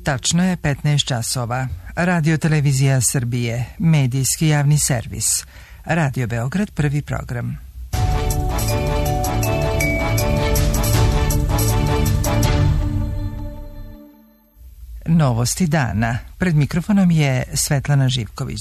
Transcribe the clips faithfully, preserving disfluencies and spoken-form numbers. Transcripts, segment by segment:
Tačno je petnaest časova. Radio Televizija Srbije, medijski javni servis. Radio Beograd, prvi program. Novosti dana. Pred mikrofonom je Svetlana Živković.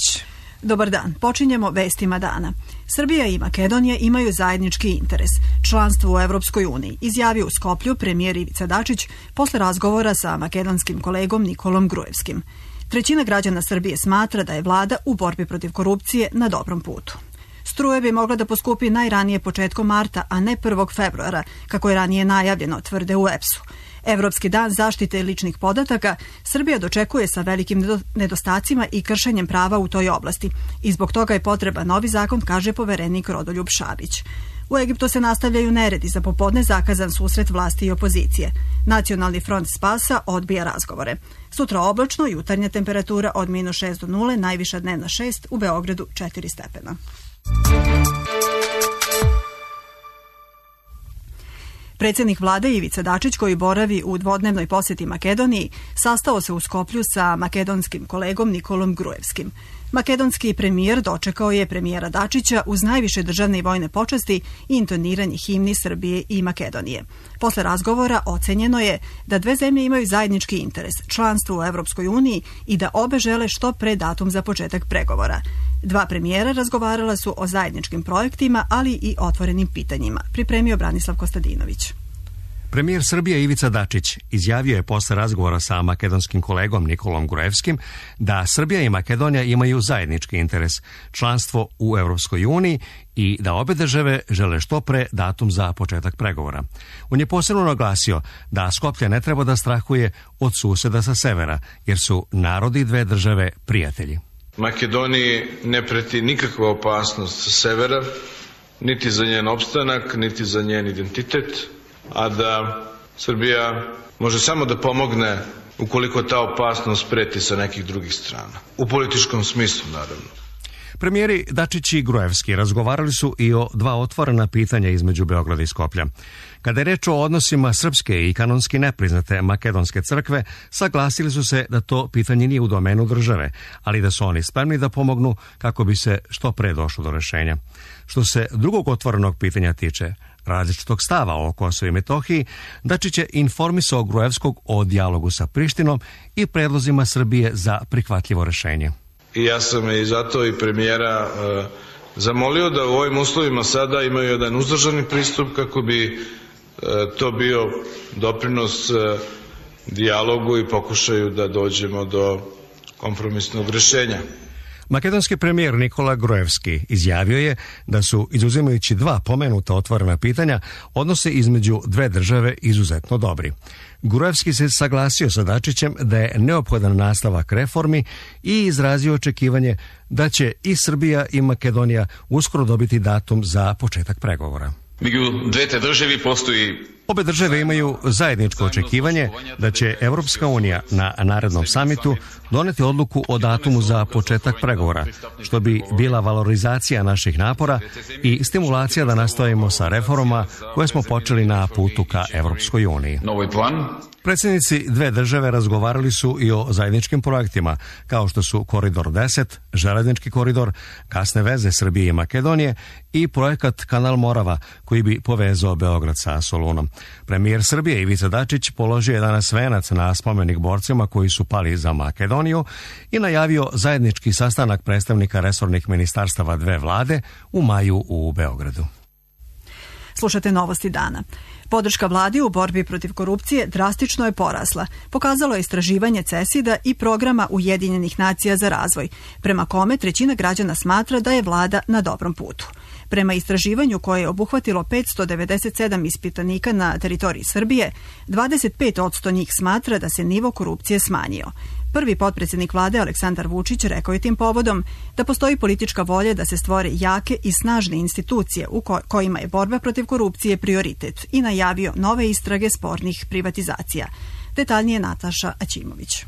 Dobar dan. Počinjemo vestima dana. Srbija i Makedonija imaju zajednički interes. Članstvo u Evropskoj uniji, izjavio u Skoplju premijer Ivica Dačić posle razgovora sa makedonskim kolegom Nikolom Gruevskim. Trećina građana Srbije smatra da je vlada u borbi protiv korupcije na dobrom putu. Struja bi mogla da poskupi najranije početkom marta, a ne prvog februara, kako je ranije najavljeno, tvrde u E P S-u. Evropski dan zaštite ličnih podataka Srbija dočekuje sa velikim nedostacima i kršenjem prava u toj oblasti i zbog toga je potreban novi zakon, kaže poverenik Rodoljub Šabić. U Egiptu se nastavljaju neredi, za popodne zakazan susret vlasti i opozicije. Nacionalni front spasa odbija razgovore. Sutra oblačno, jutarnja temperatura od minus šest do nule, najviša dnevna šest, u Beogradu četiri stepena. Predsjednik vlade Ivica Dačić, koji boravi u dvodnevnoj posjeti Makedoniji, sastao se u Skoplju sa makedonskim kolegom Nikolom Gruevskim. Makedonski premijer dočekao je premijera Dačića uz najviše državne i vojne počasti i intoniranje himni Srbije i Makedonije. Posle razgovora ocenjeno je da dve zemlje imaju zajednički interes, članstvo u Evropskoj uniji i da obe žele što pre datum za početak pregovora. Dva premijera razgovarala su o zajedničkim projektima, ali i otvorenim pitanjima, pripremio Branislav Kostadinović. Premijer Srbije Ivica Dačić izjavio je posle razgovora sa makedonskim kolegom Nikolom Gruevskim da Srbija i Makedonija imaju zajednički interes, članstvo u Evropskoj uniji i da obe države žele što pre datum za početak pregovora. On je posebno naglasio da Skoplje ne treba da strahuje od suseda sa severa, jer su narodi dve države prijatelji. Makedoniji ne preti nikakva opasnost sa severa, niti za njen opstanak, niti za njen identitet, a da Srbija može samo da pomogne ukoliko ta opasnost preti sa nekih drugih strana. U političkom smislu, naravno. Premijeri Dačić i Gruevski razgovarali su i o dva otvorena pitanja između Beograda i Skoplja. Kada je reč o odnosima srpske i kanonski nepriznate makedonske crkve, saglasili su se da to pitanje nije u domenu države, ali da su oni spremni da pomognu kako bi se što pre došlo do rešenja. Što se drugog otvorenog pitanja tiče, različitog stava o Kosovu i Metohiji, Dačić je informisao Gruevskog o dijalogu sa Prištinom i predlozima Srbije za prihvatljivo rešenje. I ja sam i zato i premijera e, zamolio da u ovim uslovima sada imaju jedan uzdržani pristup kako bi e, to bio doprinos e, dijalogu i pokušaju da dođemo do kompromisnog rešenja. Makedonski premijer Nikola Gruevski izjavio je da su, izuzimajući dva pomenuta otvorena pitanja, odnose između dve države izuzetno dobri. Gruevski se saglasio sa Dačićem da je neophodan nastavak reformi i izrazio očekivanje da će i Srbija i Makedonija uskoro dobiti datum za početak pregovora. Među dvete državi postoji... Obe države imaju zajedničko očekivanje da će Evropska unija na narednom samitu doneti odluku o datumu za početak pregovora, što bi bila valorizacija naših napora i stimulacija da nastavimo sa reformama koje smo počeli na putu ka Evropskoj uniji. Predsjednici dve države razgovarali su i o zajedničkim projektima, kao što su Koridor deset, železnički koridor, gasne veze Srbije i Makedonije i projekat Kanal Morava, koji bi povezao Beograd sa Solunom. Premijer Srbije Ivica Dačić položio je danas venac na spomenik borcima koji su pali za Makedoniju i najavio zajednički sastanak predstavnika resornih ministarstava dve vlade u maju u Beogradu. Slušate novosti dana. Podrška vladi u borbi protiv korupcije drastično je porasla. Pokazalo je istraživanje CESID-a i programa Ujedinjenih nacija za razvoj, prema kome trećina građana smatra da je vlada na dobrom putu. Prema istraživanju koje je obuhvatilo petsto devedeset sedam ispitanika na teritoriji Srbije, dvadeset pet posto njih smatra da se nivo korupcije smanjio. Prvi potpredsjednik vlade Aleksandar Vučić rekao je tim povodom da postoji politička volja da se stvore jake i snažne institucije u kojima je borba protiv korupcije prioritet i najavio nove istrage spornih privatizacija. Detaljnije Nataša Aćimović.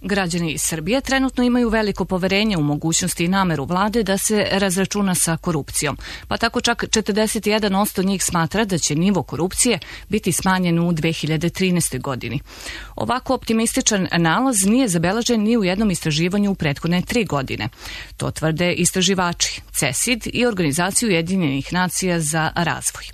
Građani iz Srbije trenutno imaju veliko poverenje u mogućnosti i nameru vlade da se razračuna sa korupcijom, pa tako čak četrdeset jedan posto njih smatra da će nivo korupcije biti smanjen u dve hiljade trinaestoj. godini. Ovako optimističan nalaz nije zabeležen ni u jednom istraživanju u prethodne tri godine. To tvrde istraživači C E S I D i Organizaciju Ujedinjenih nacija za razvoj.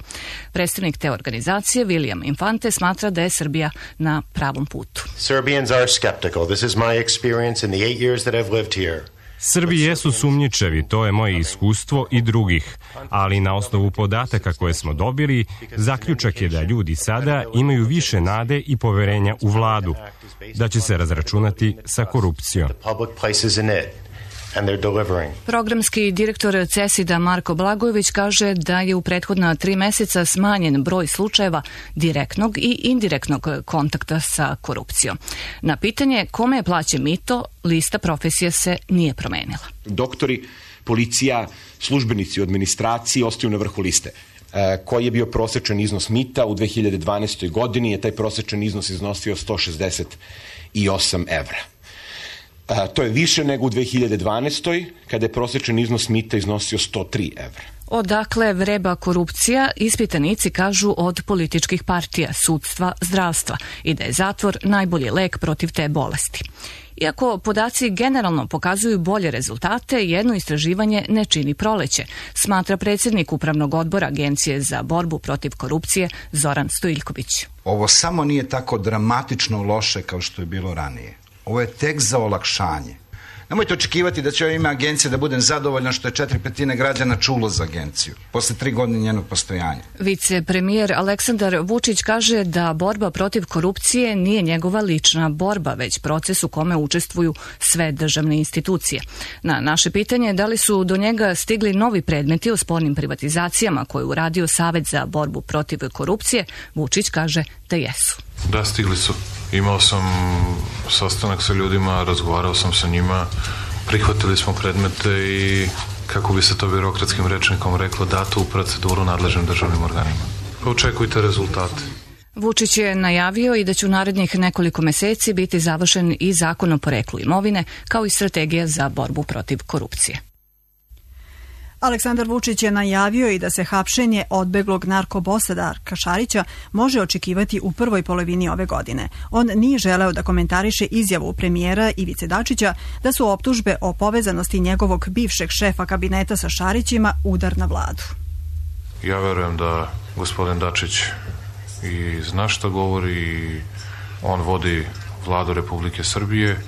Predstavnik te organizacije, William Infante, smatra da je Srbija na pravom putu. Serbians are skeptical. This is my experience in the eight years that I've lived here. Srbi jesu sumnjičevi, to je moje iskustvo i drugih, ali na osnovu podataka koje smo dobili, zaključak je da ljudi sada imaju više nade i poverenja u vladu, da će se razračunati sa korupcijom. Programski direktor C E S I D-a Marko Blagojević kaže da je u prethodna tri meseca smanjen broj slučajeva direktnog i indirektnog kontakta sa korupcijom. Na pitanje kome je plaćen mito, lista profesija se nije promenila. Doktori, policija, službenici u administraciji ostaju na vrhu liste. E, koji je bio prosečan iznos mita u dve hiljade dvanaestoj. godini, je taj prosečan iznos iznosio sto šezdeset osam evra. A, to je više nego u dve hiljade dvanaestoj. kada je prosječan iznos mita iznosio sto tri evra. Odakle vreba korupcija, ispitanici kažu od političkih partija, sudstva, zdravstva i da je zatvor najbolji lek protiv te bolesti. Iako podaci generalno pokazuju bolje rezultate, jedno istraživanje ne čini proleće, smatra predsjednik Upravnog odbora Agencije za borbu protiv korupcije Zoran Stojiljković. Ovo samo nije tako dramatično loše kao što je bilo ranije. Ovo je tek za olakšanje. Nemojte očekivati da će ovo ime agencije da budem zadovoljan što je četiri petine građana čulo za agenciju, posle tri godine njenog postojanja. Vicepremijer Aleksandar Vučić kaže da borba protiv korupcije nije njegova lična borba, već proces u kome učestvuju sve državne institucije. Na naše pitanje da li su do njega stigli novi predmeti o spornim privatizacijama koje je uradio Savet za borbu protiv korupcije, Vučić kaže da jesu. Da, stigli su. Imao sam sastanak sa ljudima, razgovarao sam sa njima, prihvatili smo predmete i, kako bi se to birokratskim rečnikom reklo, dato u proceduru nadležnim državnim organima. Pa očekujte rezultate. Vučić je najavio i da će u narednih nekoliko meseci biti završen i zakon o poreklu imovine, kao i strategija za borbu protiv korupcije. Aleksandar Vučić je najavio i da se hapšenje odbeglog narkobosa Darka Šarića može očekivati u prvoj polovini ove godine. On nije želeo da komentariše izjavu premijera Ivice Dačića da su optužbe o povezanosti njegovog bivšeg šefa kabineta sa Šarićima udar na vladu. Ja verujem da gospodin Dačić i zna šta govori i on vodi vladu Republike Srbije.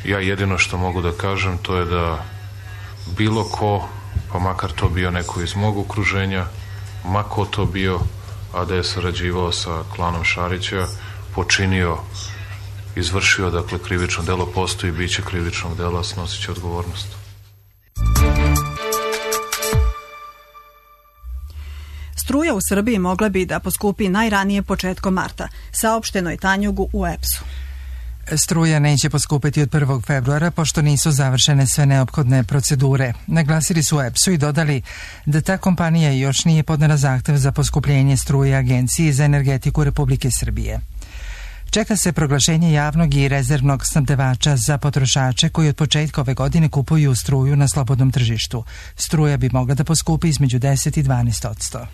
Ja jedino što mogu da kažem to je da bilo ko, pa makar to bio neko iz mog okruženja, ma ko to bio, a da je sarađivao sa klanom Šarića, počinio, izvršio, dakle, krivično delo, postoji biće krivičnog dela, snosit će odgovornost. Struja u Srbiji mogla bi da poskupi najranije početkom marta, saopšteno je Tanjugu u E P S-u. Struja neće poskupiti od prvog februara pošto nisu završene sve neophodne procedure. Naglasili su u E P S-u i dodali da ta kompanija još nije podnela zahtev za poskupljenje struje Agenciji za energetiku Republike Srbije. Čeka se proglašenje javnog i rezervnog snabdevača za potrošače koji od početka ove godine kupuju struju na slobodnom tržištu. Struja bi mogla da poskupi između deset i dvanaest odsto.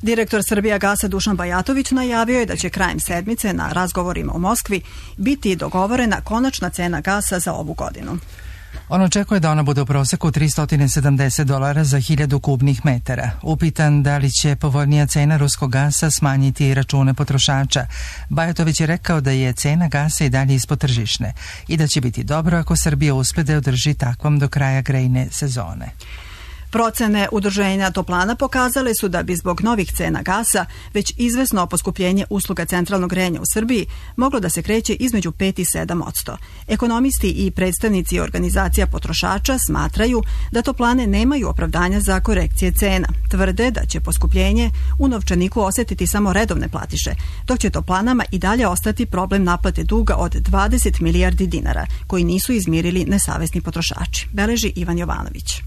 Direktor Srbijagasa Dušan Bajatović najavio je da će krajem sedmice na razgovorima u Moskvi biti dogovorena konačna cena gasa za ovu godinu. On očekuje da ona bude u proseku tristo sedamdeset dolara za hiljadu kubnih metara. Upitan da li će povoljnija cena ruskog gasa smanjiti račune potrošača, Bajatović je rekao da je cena gasa i dalje ispod tržišne i da će biti dobro ako Srbija uspe da održi takvom do kraja grejne sezone. Procene udruženja toplana pokazale su da bi zbog novih cena gasa već izvesno poskupljenje usluga centralnog grejanja u Srbiji moglo da se kreće između pet i sedam odsto. Ekonomisti i predstavnici organizacija potrošača smatraju da toplane nemaju opravdanja za korekcije cena. Tvrde da će poskupljenje u novčaniku osetiti samo redovne platiše, dok će toplanama i dalje ostati problem naplate duga od dvadeset milijardi dinara koji nisu izmirili nesavesni potrošači, beleži Ivan Jovanović.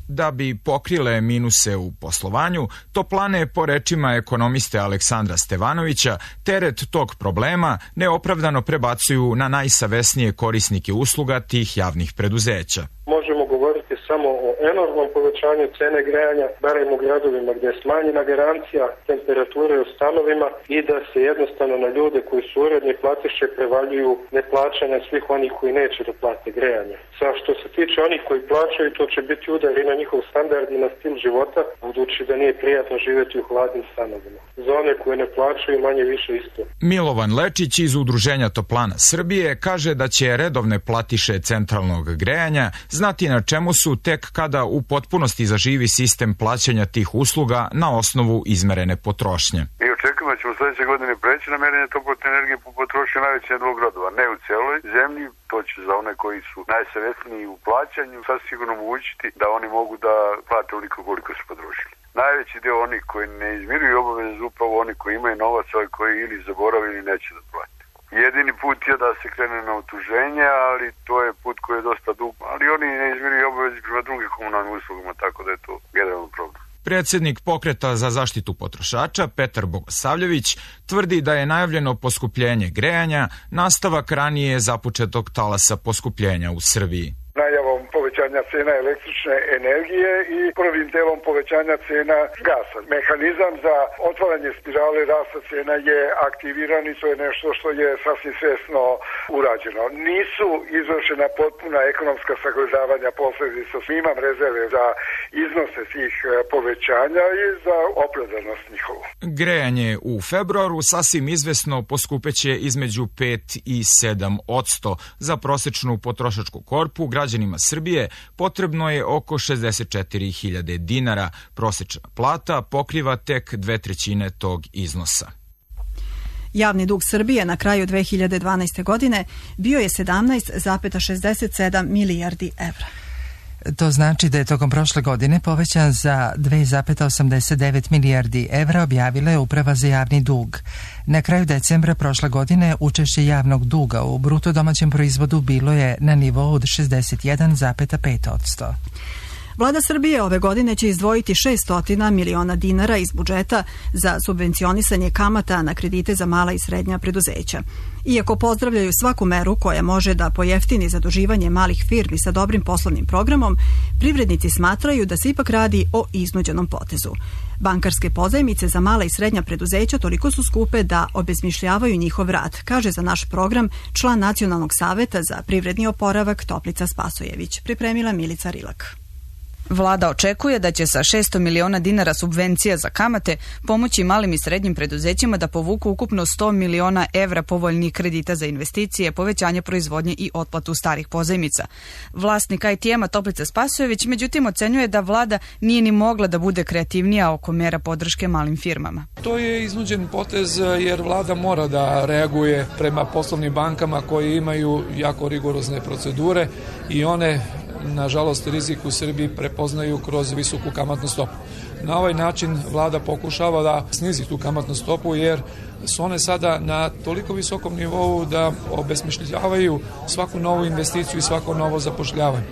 Da bi pokrile minuse u poslovanju, toplane, po rečima ekonomiste Aleksandra Stevanovića, teret tog problema neopravdano prebacuju na najsavesnije korisnike usluga tih javnih preduzeća. Možemo govoriti samo o enormnom povećanju cene grejanja, barem u gradovima gdje je smanjena garancija temperature u stanovima i da se jednostavno na ljude koji su uredni platiše prevaljuju neplaćanja svih onih koji neće da plate grejanje. Sa što se tiče onih koji plaćaju, to će biti udar i na njihov standard i na stil života, budući da nije prijatno živjeti u hladnim stanovima. Za one koje ne plaćaju, manje više isto. Milovan Lečić iz Udruženja Toplana Srbije kaže da će redovne platiše centralnog grejanja znati na čemu su tek kada u potpunosti zaživi sistem plaćanja tih usluga na osnovu izmerene potrošnje. Mi očekujemo da ćemo sledeće godine preći na merenje toplotne energije po potrošnji najvećih dvog gradova, ne u celoj zemlji, to će za one koji su najsavesniji u plaćanju sasvim sigurno omogućiti da oni mogu da plate onoliko koliko su potrošili. Najveći deo onih koji ne izmiruju obaveze upravo oni koji imaju novac, ali koji ili zaboravili ili neće da plate. Jedini put je da se krene na utuženje, ali to je put koji je dosta dug, ali oni ne izmiruju obaveze prema drugim komunalnim uslugama, tako da je to generalno problem. Predsednik Pokreta za zaštitu potrošača Petar Bogosavljević tvrdi da je najavljeno poskupljenje grejanja nastavak ranije započetog talasa poskupljenja u Srbiji. Najavom povećanja cena električne energije i prvim delom povećanja cena gasa. Mehanizam za otvaranje spirale rasta cena je aktiviran i to je nešto što je sasvim svesno urađeno. Nisu izvršena potpuna ekonomska sagledavanja posledica. Imam rezerve za iznose tih povećanja i za opravdanost njihovu. Grejanje u februaru sasvim izvesno poskupeće između pet i sedam odsto. Za prosečnu potrošačku korpu građanima Srbije potrebno je oko šezdeset četiri hiljade dinara. Prosečna plata pokriva tek dve trećine tog iznosa. Javni dug Srbije na kraju dve hiljade dvanaeste. godine bio je sedamnaest zarez šezdeset sedam milijardi evra. To znači da je tokom prošle godine povećan za dve zarez osamdeset devet milijardi evra, objavila je Uprava za javni dug. Na kraju decembra prošle godine učešće javnog duga u bruto domaćem proizvodu bilo je na nivou od šezdeset jedan zarez pet odsto. Vlada Srbije ove godine će izdvojiti šessto miliona dinara iz budžeta za subvencionisanje kamata na kredite za mala i srednja preduzeća. Iako pozdravljaju svaku meru koja može da pojeftini zaduživanje malih firmi sa dobrim poslovnim programom, privrednici smatraju da se ipak radi o iznuđenom potezu. Bankarske pozajmice za mala i srednja preduzeća toliko su skupe da obezmišljavaju njihov rad, kaže za naš program član Nacionalnog saveta za privredni oporavak Toplica Spasojević. Pripremila Milica Rilak. Vlada očekuje da će sa šesto miliona dinara subvencija za kamate pomoći malim i srednjim preduzećima da povuku ukupno sto miliona evra povoljnih kredita za investicije, povećanje proizvodnje i otplatu starih pozajmica. Vlasnik I T M-a Toplica Spasojević međutim ocenjuje da vlada nije ni mogla da bude kreativnija oko mera podrške malim firmama. To je iznuđen potez jer vlada mora da reaguje prema poslovnim bankama koje imaju jako rigorozne procedure i one nažalost rizik u Srbiji prepoznaju kroz visoku kamatnu stopu. Na ovaj način vlada pokušava da snizi tu kamatnu stopu jer su one sada na toliko visokom nivou da obesmišljavaju svaku novu investiciju i svako novo zapošljavanje.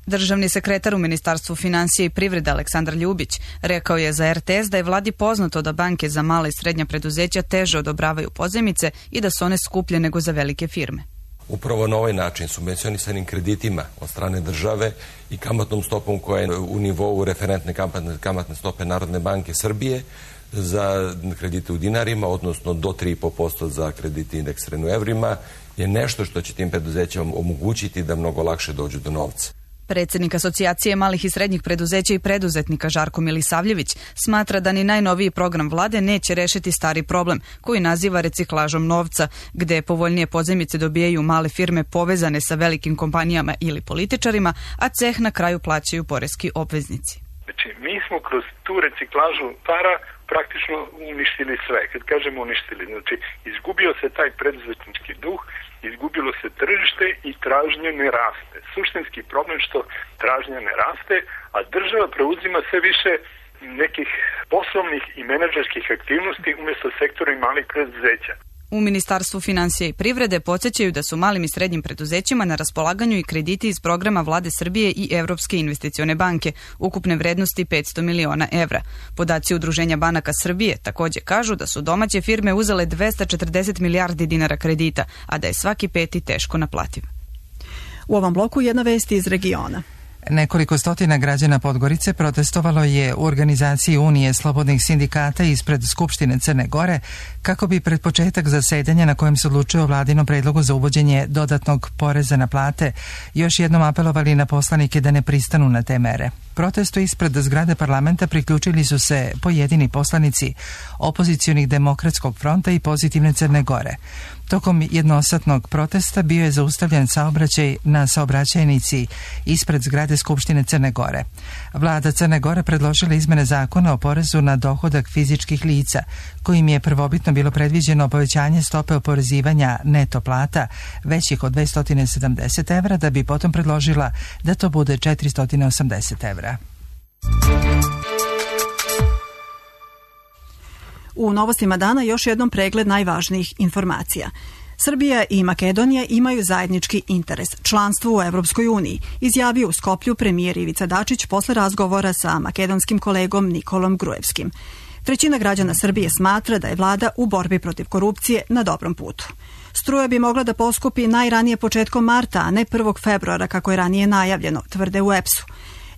Državni sekretar u Ministarstvu finansija i privrede Aleksandar Ljubić rekao je za R T S da je vladi poznato da banke za mala i srednja preduzeća teže odobravaju pozajmice i da su one skuplje nego za velike firme. Upravo na ovaj način subvencionisanim kreditima od strane države i kamatnom stopom koja je u nivou referentne kamatne stope Narodne banke Srbije za kredite u dinarima, odnosno do tri zarez pet posto za kredite indeksirane u evrima, je nešto što će tim preduzećima omogućiti da mnogo lakše dođu do novca. Predsjednik Asocijacije malih i srednjih preduzeća i preduzetnika Žarko Milisavljević smatra da ni najnoviji program vlade neće rešiti stari problem koji naziva reciklažom novca, gde povoljnije pozajmice dobijaju male firme povezane sa velikim kompanijama ili političarima, a ceh na kraju plaćaju poreski obveznici. Znači, mi smo kroz tu reciklažu para praktično uništili sve. Kad kažemo uništili, znači izgubio se taj preduzetnički duh, izgubilo se tržište i tražnja ne raste. Suštinski problem što tražnja ne raste, a država preuzima sve više nekih poslovnih i menadžerskih aktivnosti umjesto sektora i malih preduzeća. U Ministarstvu finansija i privrede podsjećaju da su malim i srednjim preduzećima na raspolaganju i krediti iz programa Vlade Srbije i Evropske investicione banke, ukupne vrednosti petsto miliona evra. Podaci Udruženja banaka Srbije takođe kažu da su domaće firme uzele dvesta četrdeset milijardi dinara kredita, a da je svaki peti teško naplativ. U ovom bloku jedna vest iz regiona. Nekoliko stotina građana Podgorice protestovalo je u organizaciji Unije slobodnih sindikata ispred Skupštine Crne Gore kako bi pred početak zasedanja na kojem se odlučuje o vladinom predlogu za uvođenje dodatnog poreza na plate još jednom apelovali na poslanike da ne pristanu na te mere. Protestu ispred zgrade parlamenta priključili su se pojedini poslanici opozicionih Demokratskog fronta i Pozitivne Crne Gore. Tokom jednosatnog protesta bio je zaustavljen saobraćaj na saobraćajnici ispred zgrade Skupštine Crne Gore. Vlada Crne Gore predložila izmene zakona o porezu na dohodak fizičkih lica, kojim je prvobitno bilo predviđeno povećanje stope oporezivanja neto plata većih od dvesta sedamdeset evra, da bi potom predložila da to bude četiristo osamdeset evra. U novostima dana još jednom pregled najvažnijih informacija. Srbija i Makedonija imaju zajednički interes, članstvo u Evropskoj uniji, izjavio u Skoplju premijer Ivica Dačić posle razgovora sa makedonskim kolegom Nikolom Gruevskim. Trećina građana Srbije smatra da je vlada u borbi protiv korupcije na dobrom putu. Struja bi mogla da poskupi najranije početkom marta, a ne prvog februara kako je ranije najavljeno, tvrde u E P S-u.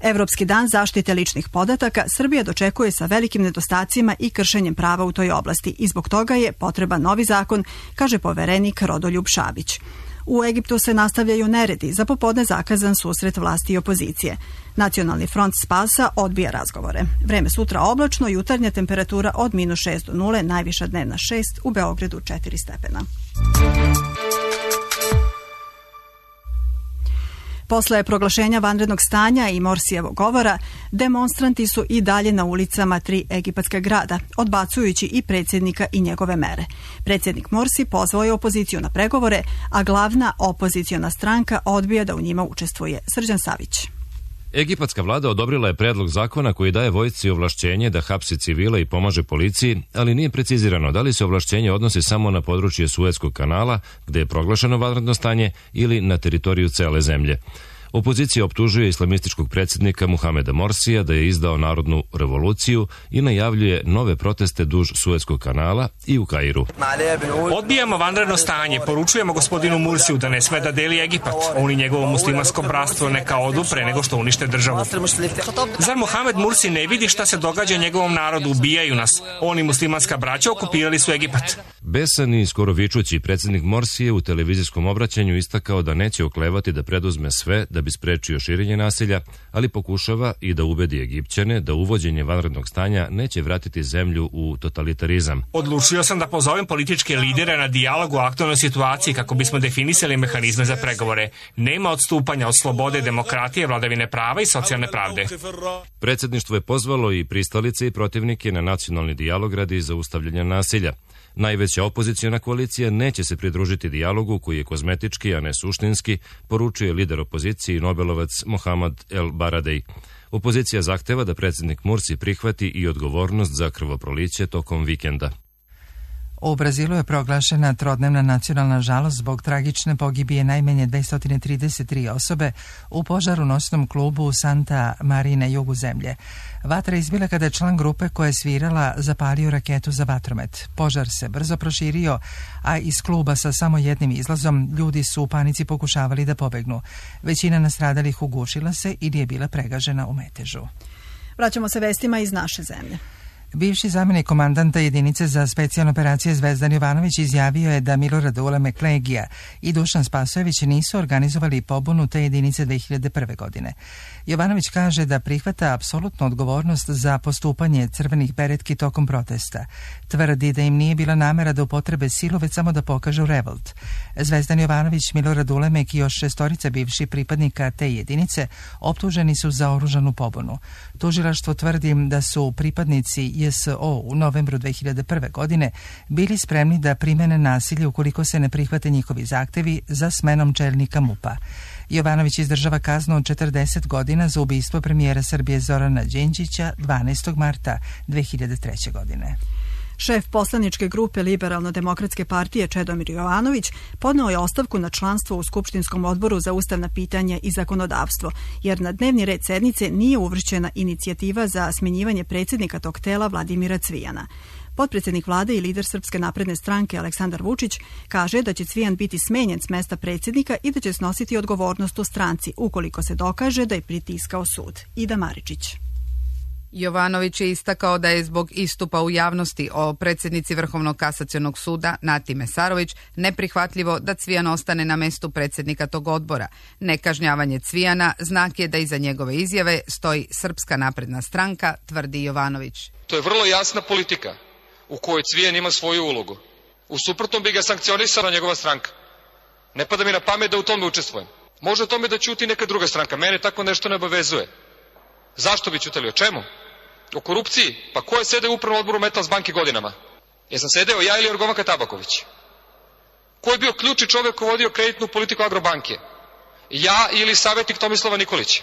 Evropski dan zaštite ličnih podataka Srbija dočekuje sa velikim nedostacima i kršenjem prava u toj oblasti i zbog toga je potreban novi zakon, kaže poverenik Rodoljub Šabić. U Egiptu se nastavljaju neredi, za popodne zakazan susret vlasti i opozicije. Nacionalni front spasa odbija razgovore. Vreme sutra oblačno, jutarnja temperatura od minus šest do nule, najviša dnevna šest, u Beogradu četiri stepena. Posle proglašenja vanrednog stanja i Morsijevog govora, demonstranti su i dalje na ulicama tri egipatska grada, odbacujući i predsjednika i njegove mere. Predsjednik Morsi pozvao je opoziciju na pregovore, a glavna opoziciona stranka odbija da u njima učestvuje. Srđan Savić. Egipatska vlada odobrila je predlog zakona koji daje vojsci ovlašćenje da hapsi civile i pomaže policiji, ali nije precizirano da li se ovlašćenje odnosi samo na područje Suetskog kanala, gde je proglašeno vanredno stanje, ili na teritoriju cele zemlje. Opozicija optužuje islamističkog predsjednika Muhameda Morsija da je izdao narodnu revoluciju i najavljuje nove proteste duž Suetskog kanala i u Kairu. Odbijamo vanredno stanje, poručujemo gospodinu Mursiju da ne sme da deli Egipat. On i njegovo muslimansko bratstvo neka odu pre nego što unište državu. Zar Muhamed Mursi ne vidi šta se događa njegovom narodu, ubijaju nas. On i muslimanska braća okupirali su Egipat. Besan i skoro vičući predsjednik Morsi je u televizijskom obraćanju istakao da neće oklevati da preduzme sve da bi sprečio širenje nasilja, ali pokušava i da ubedi Egipćane da uvođenje vanrednog stanja neće vratiti zemlju u totalitarizam. Odlučio sam da pozovem političke lidere na dijalog u aktualnoj situaciji kako bismo definisali mehanizme za pregovore. Nema odstupanja od slobode, demokratije, vladavine prava i socijalne pravde. Predsjedništvo je pozvalo i pristalice i protivnike na nacionalni dijalog radi zaustavljanja nasilja. Najveća opoziciona koalicija neće se pridružiti dijalogu koji je kozmetički, a ne suštinski, poručuje lider opozicije i Nobelovac Mohamed El Baradej. Opozicija zahteva da predsjednik Mursi prihvati i odgovornost za krvoproliće tokom vikenda. U Brazilu je proglašena trodnevna nacionalna žalost zbog tragične pogibije najmanje dvesta trideset tri osobe u požaru noćnom klubu u Santa Maria na jugu zemlje. Vatra je izbila kada je član grupe koja je svirala zapalio raketu za vatromet. Požar se brzo proširio, a iz kluba sa samo jednim izlazom ljudi su u panici pokušavali da pobegnu. Većina nastradalih ugušila se ili je bila pregažena u metežu. Vraćamo se vestima iz naše zemlje. Bivši zamjenik komandanta jedinice za specijalne operacije Zvezdan Jovanović izjavio je da Milorad Uleme Klegija i Dušan Spasojević nisu organizovali pobunu te jedinice dve hiljade prve. godine. Jovanović kaže da prihvata apsolutnu odgovornost za postupanje crvenih beretki tokom protesta. Tvrdi da im nije bila namera da upotrebe silu, već samo da pokažu revolt. Zvezdan Jovanović, Milorad Ulemek i još šestorica bivših pripadnika te jedinice optuženi su za oružanu pobunu. Tužilaštvo tvrdi da su pripadnici J S O u novembru dve hiljade prve. godine bili spremni da primene nasilje ukoliko se ne prihvate njihovi zahtevi za smenom čelnika M U P-a. Jovanović izdržava kaznu od četrdeset godina za ubistvo premijera Srbije Zorana Đinđića dvanaestog marta dve hiljade treće. godine. Šef poslaničke grupe Liberalno-demokratske partije Čedomir Jovanović podneo je ostavku na članstvo u Skupštinskom odboru za ustavna pitanja i zakonodavstvo, jer na dnevni red sednice nije uvršćena inicijativa za smjenjivanje predsjednika tog tela Vladimira Cvijana. Potpredsjednik vlade i lider Srpske napredne stranke Aleksandar Vučić kaže da će Cvijan biti smenjen s mesta predsjednika i da će snositi odgovornost u stranci ukoliko se dokaže da je pritiskao sud. Ida Maričić. Jovanović je istakao da je zbog istupa u javnosti o predsjednici Vrhovnog kasacionog suda Nati Mesarović neprihvatljivo da Cvijan ostane na mestu predsjednika tog odbora. Nekažnjavanje Cvijana znak je da iza njegove izjave stoji Srpska napredna stranka, tvrdi Jovanović. To je vrlo jasna politika u kojoj Cvijan ima svoju ulogu. U suprotnom bi ga sankcionisala njegova stranka. Ne pada mi na pamet da u tome učestvujem. Može o tome da ćuti neka druga stranka. Mene tako nešto ne obavezuje. Zašto bi ćutali? O čemu? O korupciji? Pa ko je sedeo u upravnom odboru Metals banke godinama? Jesam sedeo ja ili Jorgovanka Tabaković? Ko je bio ključni čovjek koji vodio kreditnu politiku Agrobanke? Ja ili savjetnik Tomislava Nikolića?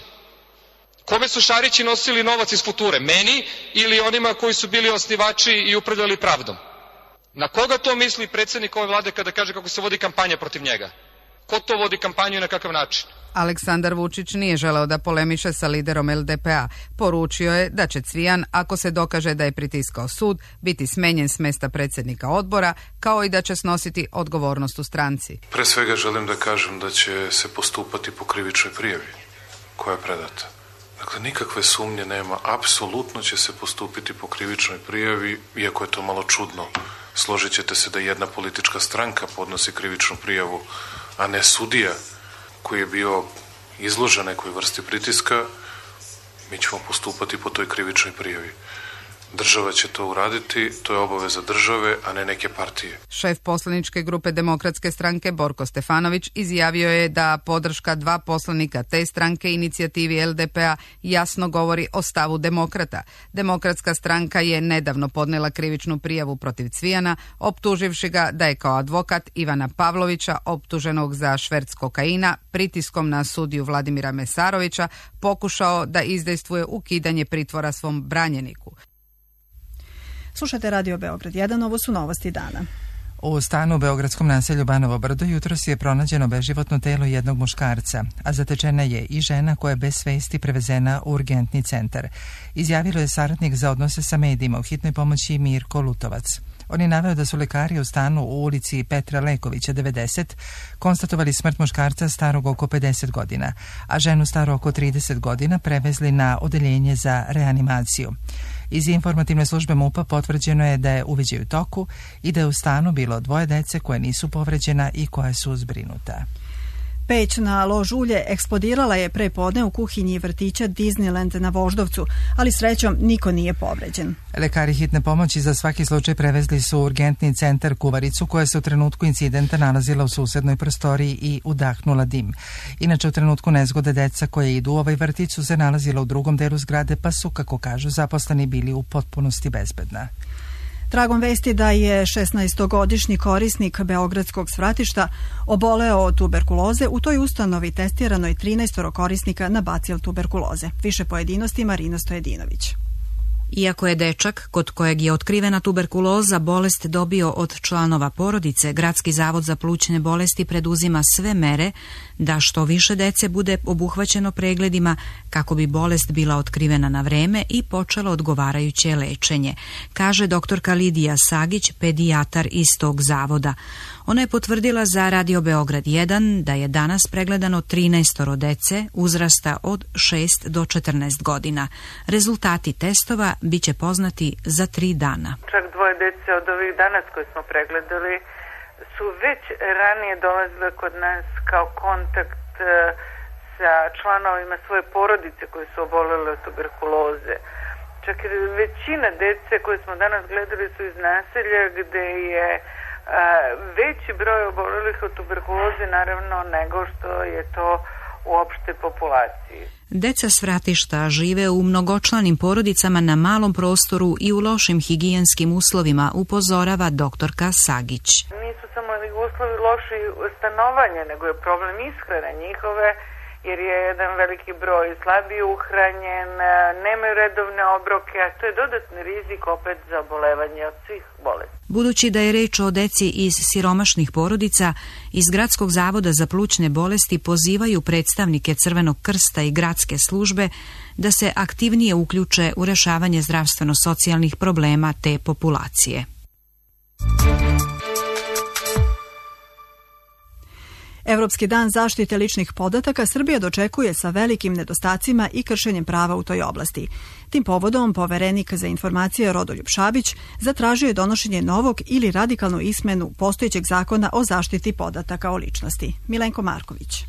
Kome su Šarići nosili novac iz Future? Meni ili onima koji su bili osnivači i upravljali Pravdom? Na koga to misli predsjednik ove vlade kada kaže kako se vodi kampanja protiv njega? Ko to vodi kampanju i na kakav način? Aleksandar Vučić nije želeo da polemiše sa liderom L D P A. Poručio je da će Cvijan, ako se dokaže da je pritiskao sud, biti smenjen s mesta predsjednika odbora, kao i da će snositi odgovornost u stranci. Pre svega želim da kažem da će se postupati po krivičnoj prijavi koja je predata. Dakle, nikakve sumnje nema, apsolutno će se postupiti po krivičnoj prijavi, iako je to malo čudno. Složit ćete se da jedna politička stranka podnosi krivičnu prijavu, a ne sudija koji je bio izložen nekoj vrsti pritiska. Mi ćemo postupati po toj krivičnoj prijavi. Država će to uraditi, to je obaveza države, a ne neke partije. Šef poslaničke grupe Demokratske stranke Borko Stefanović izjavio je da podrška dva poslanika te stranke inicijativi L D P A jasno govori o stavu demokrata. Demokratska stranka je nedavno podnela krivičnu prijavu protiv Cvijana, optuživši ga da je kao advokat Ivana Pavlovića, optuženog za šverc kokaina, pritiskom na sudiju Vladimira Mesarovića, pokušao da izdejstvuje ukidanje pritvora svom branjeniku. Slušajte Radio Beograd jedan, ovo su novosti dana. U stanu u beogradskom naselju Banovo Brdo jutros je pronađeno beživotno telo jednog muškarca, a zatečena je i žena koja je bez svesti prevezena u urgentni centar. Izjavilo je saradnik za odnose sa medijima u hitnoj pomoći Mirko Lutovac. On je naveo da su lekari u stanu u ulici Petra Lekovića devedeset konstatovali smrt muškarca starog oko pedeset godina, a ženu staru oko trideset godina prevezli na odeljenje za reanimaciju. Iz informativne službe MUP-a potvrđeno je da je uviđaj u toku i da je u stanu bilo dvoje dece koje nisu povređena i koja su zbrinuta. Peć na lož ulje eksplodirala je pre podne u kuhinji vrtića Disneyland na Voždovcu, ali srećom niko nije povređen. Lekari hitne pomoći za svaki slučaj prevezli su u urgentni centar Kuvaricu, koja se u trenutku incidenta nalazila u susednoj prostoriji i udahnula dim. Inače, u trenutku nezgode deca koje idu u ovaj vrtić su se nalazila u drugom delu zgrade, pa su, kako kažu, zaposleni bili u potpunosti bezbedna. Tragom vesti da je šesnaestogodišnji korisnik beogradskog svratišta oboleo od tuberkuloze, u toj ustanovi testirano je trinaest korisnika na bacil tuberkuloze. Više pojedinosti Marina Stojedinović. Iako je dečak kod kojeg je otkrivena tuberkuloza bolest dobio od članova porodice, Gradski zavod za plućne bolesti preduzima sve mere da što više dece bude obuhvaćeno pregledima kako bi bolest bila otkrivena na vreme i počelo odgovarajuće lečenje, kaže doktorka Lidija Sagić, pedijatar iz tog zavoda. Ona je potvrdila za Radio Beograd jedan da je danas pregledano trinaest dece uzrasta od šest do četrnaest godina. Rezultati testova biće poznati za tri dana. Čak dvoje dece od ovih danas koje smo pregledali su već ranije dolazile kod nas kao kontakt sa članovima svoje porodice koji su obolele od tuberkuloze. Čak i većina dece koje smo danas gledali su iz naselja gde je veći broj obolelih od tuberkuloze naravno nego što je to u opšte populaciji. Deca s vratišta žive u mnogočlanim porodicama na malom prostoru i u lošim higijenskim uslovima, upozorava doktorka Sagić. Nisu samo uslovi loši stanovanja, nego je problem ishrane njihove jer je jedan veliki broj slabije uhranjen, nemaju redovne obroke, a to je dodatni rizik opet za obolevanje od svih bolesti. Budući da je reč o deci iz siromašnih porodica, iz Gradskog zavoda za plućne bolesti pozivaju predstavnike Crvenog krsta i gradske službe da se aktivnije uključe u rešavanje zdravstveno-socijalnih problema te populacije. Evropski dan zaštite ličnih podataka Srbija dočekuje sa velikim nedostacima i kršenjem prava u toj oblasti. Tim povodom poverenik za informacije Rodoljub Šabić zatražio je donošenje novog ili radikalnu izmenu postojećeg zakona o zaštiti podataka o ličnosti. Milenko Marković.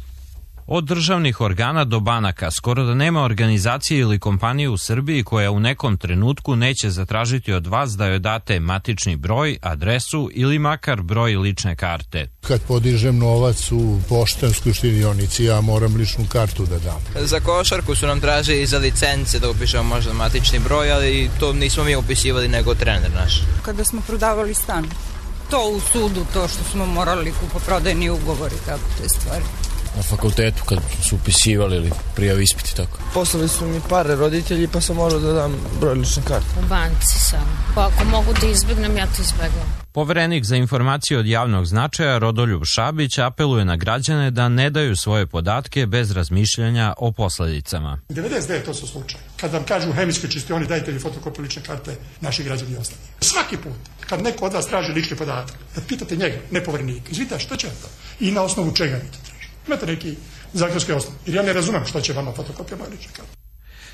Od državnih organa do banaka, skoro da nema organizacije ili kompanije u Srbiji koja u nekom trenutku neće zatražiti od vas da joj date matični broj, adresu ili makar broj lične karte. Kad podižem novac u poštanskoj štedionici, ja moram ličnu kartu da dam. Za košarku su nam tražili za licence da upišemo možda matični broj, ali to nismo mi upisivali nego trener naš. Kada smo prodavali stan, to u sudu, to što smo morali kupoprodajni ugovori, tako te stvari. Na fakultetu kad su upisivali ili prijavi ispiti, tako. Poslali su mi pare roditelji pa sam morao da dam broj lične karte. U banci sam. Pa ako mogu da izbjegnem, ja to izbjegnem. Poverenik za informacije od javnog značaja Rodoljub Šabić apeluje na građane da ne daju svoje podatke bez razmišljanja o posledicama. devedeset devet posto slučaja. Kad vam kažu u hemijskoj čistioni dajte li fotokopiju lične karte, naši građani ostane. Svaki put kad neko od vas traži lični podatak, da pitate njega, ne poverenika, izvita što će to i na osnovu čega vi to traži. Imate neki zakonski osnov, jer ja ne razumem što će vama fotokopija moje lične karte.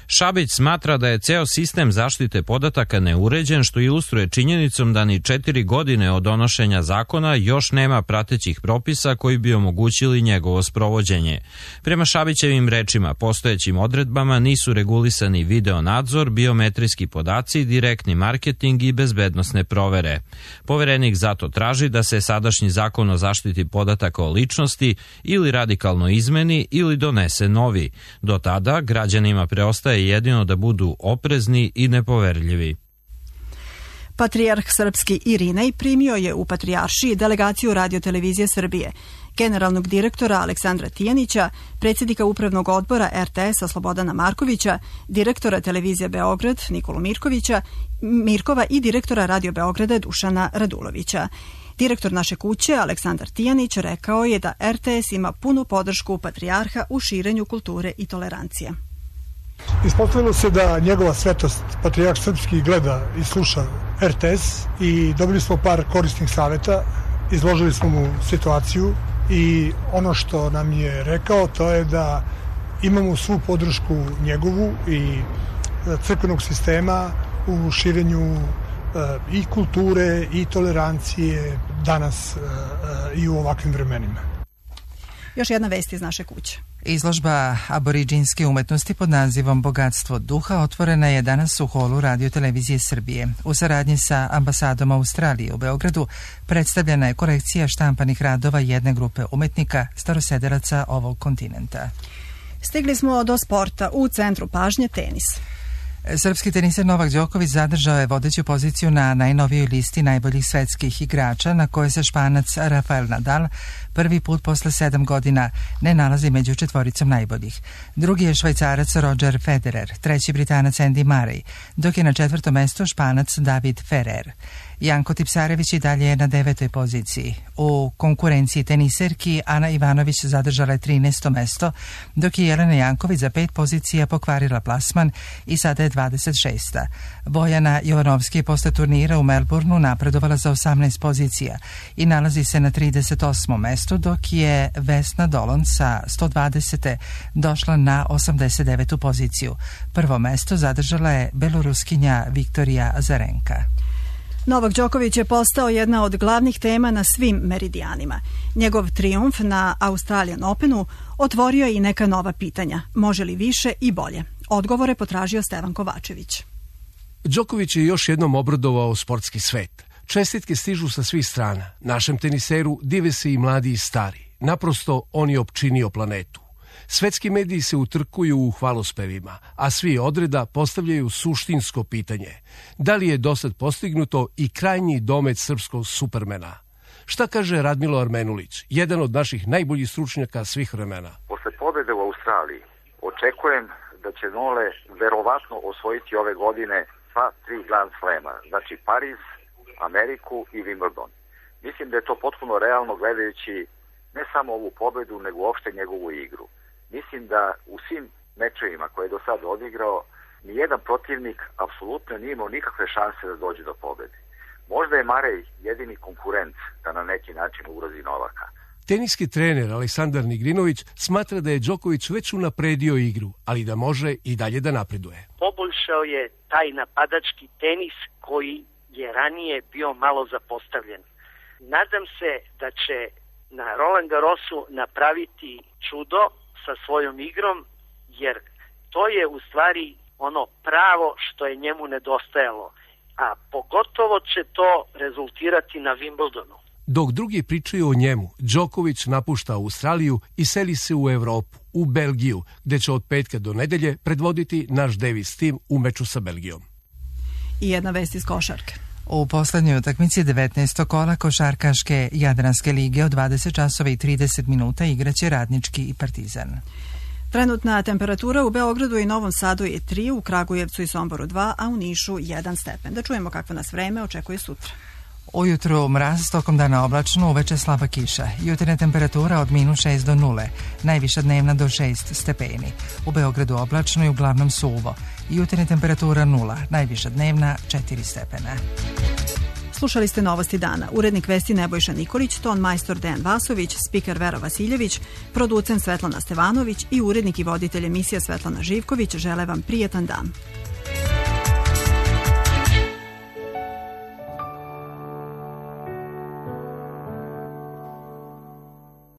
Šabić smatra da je ceo sistem zaštite podataka neuređen, što ilustruje činjenicom da ni četiri godine od donošenja zakona još nema pratećih propisa koji bi omogućili njegovo sprovođenje. Prema Šabićevim rečima, postojećim odredbama nisu regulisani video nadzor, biometrijski podaci, direktni marketing i bezbednosne provere. Poverenik zato traži da se sadašnji zakon o zaštiti podataka o ličnosti ili radikalno izmeni ili donese novi. Do tada građanima preostaje je jedino da budu oprezni i nepoverljivi. Patrijarh srpski Irinej primio je u Patrijaršiji delegaciju Radio-televizije Srbije, generalnog direktora Aleksandra Tijanića, predsjednika upravnog odbora er te es-a Slobodana Markovića, direktora Televizije Beograd Nikolu Mirkovića, Mirkova i direktora Radio Beograda Dušana Radulovića. Direktor naše kuće, Aleksandar Tijanić, rekao je da er te es ima punu podršku Patrijarha u širenju kulture i tolerancije. Ispostavilo se da njegova svetost, Patrijarh srpski, gleda i sluša er te es i dobili smo par korisnih savjeta, izložili smo mu situaciju i ono što nam je rekao to je da imamo svu podršku njegovu i crkvenog sistema u širenju i kulture i tolerancije danas i u ovakvim vremenima. Još jedna vest iz naše kuće. Izložba aboriđinske umetnosti pod nazivom Bogatstvo duha otvorena je danas u holu Radio-televizije Srbije. U saradnji sa ambasadom Australije u Beogradu predstavljena je kolekcija štampanih radova jedne grupe umetnika starosedelaca ovog kontinenta. Stigli smo do sporta. U centru pažnje tenis. Srpski teniser Novak Đoković zadržao je vodeću poziciju na najnovijoj listi najboljih svetskih igrača, na kojoj se Španac Rafael Nadal prvi put posle sedam godina ne nalazi među četvoricom najboljih. Drugi je Švajcarac Roger Federer, treći Britanac Andy Murray, dok je na četvrtom mestu Španac David Ferrer. Janko Tipsarević i dalje je na devetoj poziciji. U konkurenciji teniserki Ana Ivanović zadržala je trinaesto mesto, dok je Jelena Janković za pet pozicija pokvarila plasman i sada je dvadeset šesta. Bojana Jovanovski je posle turnira u Melbourneu napredovala za osamnaest pozicija i nalazi se na trideset osmom mestu, dok je Vesna Dolon sa sto dvadesete došla na osamdeset devetu poziciju. Prvo mesto zadržala je beloruskinja Viktorija Azarenka. Novak Đoković je postao jedna od glavnih tema na svim meridijanima. Njegov trijumf na Australian Openu otvorio je i neka nova pitanja. Može li više i bolje? Odgovore potražio Stevan Kovačević. Đoković je još jednom obradovao sportski svet. Čestitke stižu sa svih strana. Našem teniseru dive se i mladi i stari. Naprosto on je opčinio planetu. Svetski mediji se utrkuju u hvalospevima, a svi odreda postavljaju suštinsko pitanje. Da li je dosad postignuto i krajnji domet srpskog supermena? Šta kaže Radmilo Armenulić, jedan od naših najboljih stručnjaka svih vremena? Posle pobede u Australiji očekujem da će Nole verovatno osvojiti ove godine sva tri Grand Slema, znači Pariz, Ameriku i Wimbledon. Mislim da je to potpuno realno gledajući ne samo ovu pobedu, nego uopšte njegovu igru. Mislim da u svim mečevima koje je do sada odigrao, nijedan protivnik apsolutno nije imao nikakve šanse da dođe do pobede. Možda je Marej jedini konkurent da na neki način ugrozi Novaka. Teniski trener Aleksandar Nigrinović smatra da je Đoković već unapredio igru, ali da može i dalje da napreduje. Poboljšao je taj napadački tenis koji je ranije bio malo zapostavljen. Nadam se da će na Roland Garrosu napraviti čudo sa svojom igrom, jer to je u stvari ono pravo što je njemu nedostajalo, a pogotovo će to rezultirati na Wimbledonu. Dok drugi pričaju o njemu, Đoković napušta Australiju i seli se u Evropu, u Belgiju, gde će od petka do nedelje predvoditi naš Davis tim u meču sa Belgijom. I jedna vest iz košarke. U poslednjoj utakmici devetnaestog kola košarkaške Jadranske lige od dvadeset časova i trideset minuta igraće Radnički i Partizan. Trenutna temperatura u Beogradu i Novom Sadu je tri, u Kragujevcu i Somboru dva, a u Nišu jedan stepen. Da čujemo kakvo nas vreme očekuje sutra. Ujutru mraz, tokom dana oblačno, uveče slaba kiša. Jutarnja temperatura od minus šest do nule, najviša dnevna do šest stepeni. U Beogradu oblačno i uglavnom suvo. Jutarnja temperatura nula, najviša dnevna četiri stepena. Slušali ste Novosti dana. Urednik vesti Nebojša Nikolić, ton majstor Dejan Vasović, spiker Vera Vasiljević, producent Svetlana Stevanović i urednik i voditelj emisija Svetlana Živković žele vam prijetan dan.